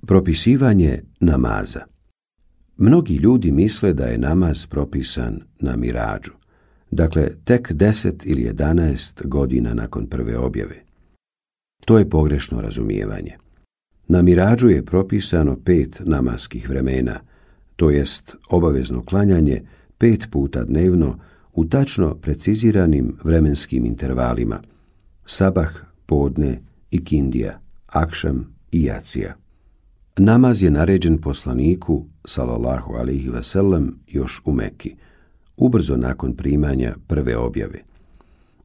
Propisivanje namaza. Mnogi ljudi misle da je namaz propisan na Miradžu, dakle tek 10 ili 11 godina nakon prve objave. To je pogrešno razumijevanje. Na Miradžu je propisano 5 namaskih vremena, to jest obavezno klanjanje 5 puta dnevno u tačno preciziranim vremenskim intervalima: sabah, podne, ikindija, akšam i jacija. Namaz je naređen poslaniku, sallallahu alejhi ve sellem, još u Meki, ubrzo nakon primanja prve objave.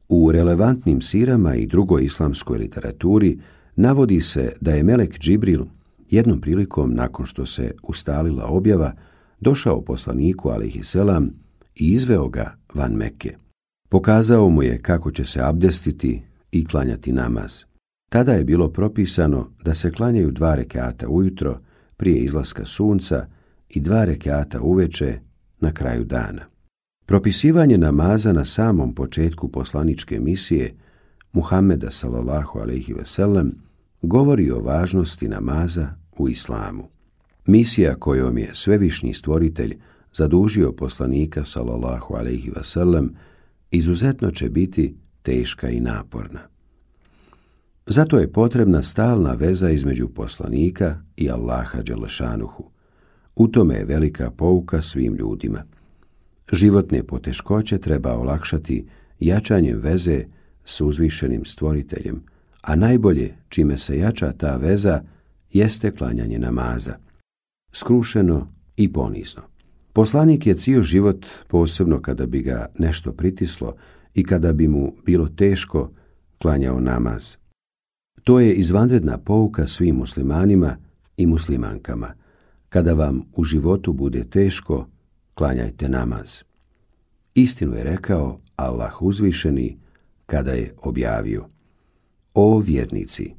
U relevantnim sirama i drugoj islamskoj literaturi navodi se da je melek Džibril jednom prilikom, nakon što se ustalila objava, došao poslaniku alejhi selam i izveo ga van Mekke. Pokazao mu je kako će se abdestiti i klanjati namaz. Tada je bilo propisano da se klanjaju 2 rekata ujutro prije izlaska sunca i 2 rekata uveče na kraju dana. Propisivanje namaza na samom početku poslaničke misije Muhameda sallallahu alejhi ve sellem govori o važnosti namaza u islamu. Misija kojom je svevišnji stvoritelj zadužio poslanika sallallahu alejhi ve sellem izuzetno će biti teška i naporna. Zato je potrebna stalna veza između poslanika i Allaha dželešanuhu. U tome je velika pouka svim ljudima. Životne poteškoće treba olakšati jačanjem veze s uzvišenim stvoriteljem, a najbolje čime se jača ta veza jeste klanjanje namaza, skrušeno i ponizno. Poslanik je cijel život, posebno kada bi ga nešto pritislo i kada bi mu bilo teško, klanjao namaz. To je izvanredna pouka svim muslimanima i muslimankama. Kada vam u životu bude teško, klanjajte namaz. Istinu je rekao Allah uzvišeni kada je objavio: O vjernici,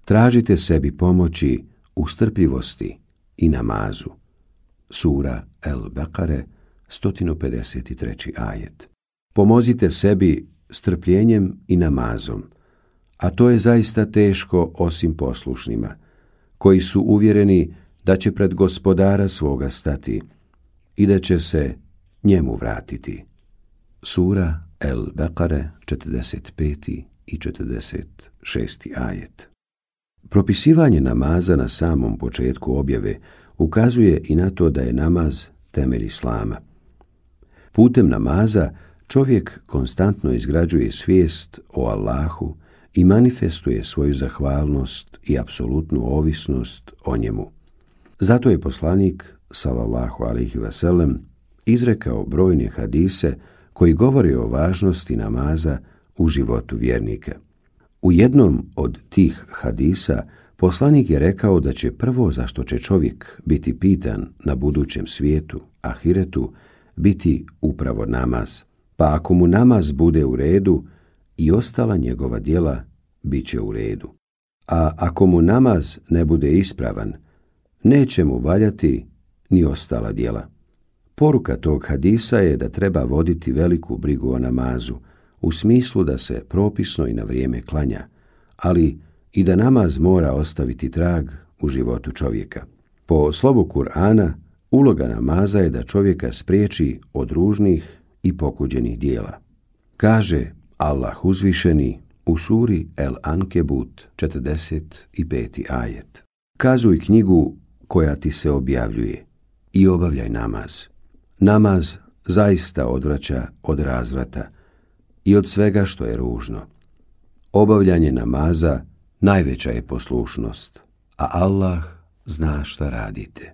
tražite sebi pomoći u strpljivosti i namazu. Sura El-Bekare, 153. ajet. Pomozite sebi strpljenjem i namazom, a to je zaista teško osim poslušnima, koji su uvjereni da će pred gospodara svoga stati i da će se njemu vratiti. Sura El-Bekare, 45. i 46. ajet. Propisivanje namaza na samom početku objave ukazuje i na to da je namaz temelj islama. Putem namaza čovjek konstantno izgrađuje svijest o Allahu i manifestuje svoju zahvalnost i apsolutnu ovisnost o njemu. Zato je poslanik, sallallahu alejhi ve sellem, izrekao brojne hadise koji govore o važnosti namaza u životu vjernika. U jednom od tih hadisa poslanik je rekao da će prvo za što će čovjek biti pitan na budućem svijetu, ahiretu, biti upravo namaz. Pa ako mu namaz bude u redu, i ostala njegova djela bit će u redu. A ako mu namaz ne bude ispravan, neće mu valjati ni ostala djela. Poruka tog hadisa je da treba voditi veliku brigu o namazu, u smislu da se propisno i na vrijeme klanja, ali i da namaz mora ostaviti trag u životu čovjeka. Po slovu Kur'ana, uloga namaza je da čovjeka spriječi od ružnih i pokuđenih djela. Kaže Allah uzvišeni u suri El-Ankebut, 45. ajet. Kazuj knjigu koja ti se objavljuje i obavljaj namaz. Namaz zaista odvraća od razvrata i od svega što je ružno. Obavljanje namaza najveća je poslušnost, a Allah zna šta radite.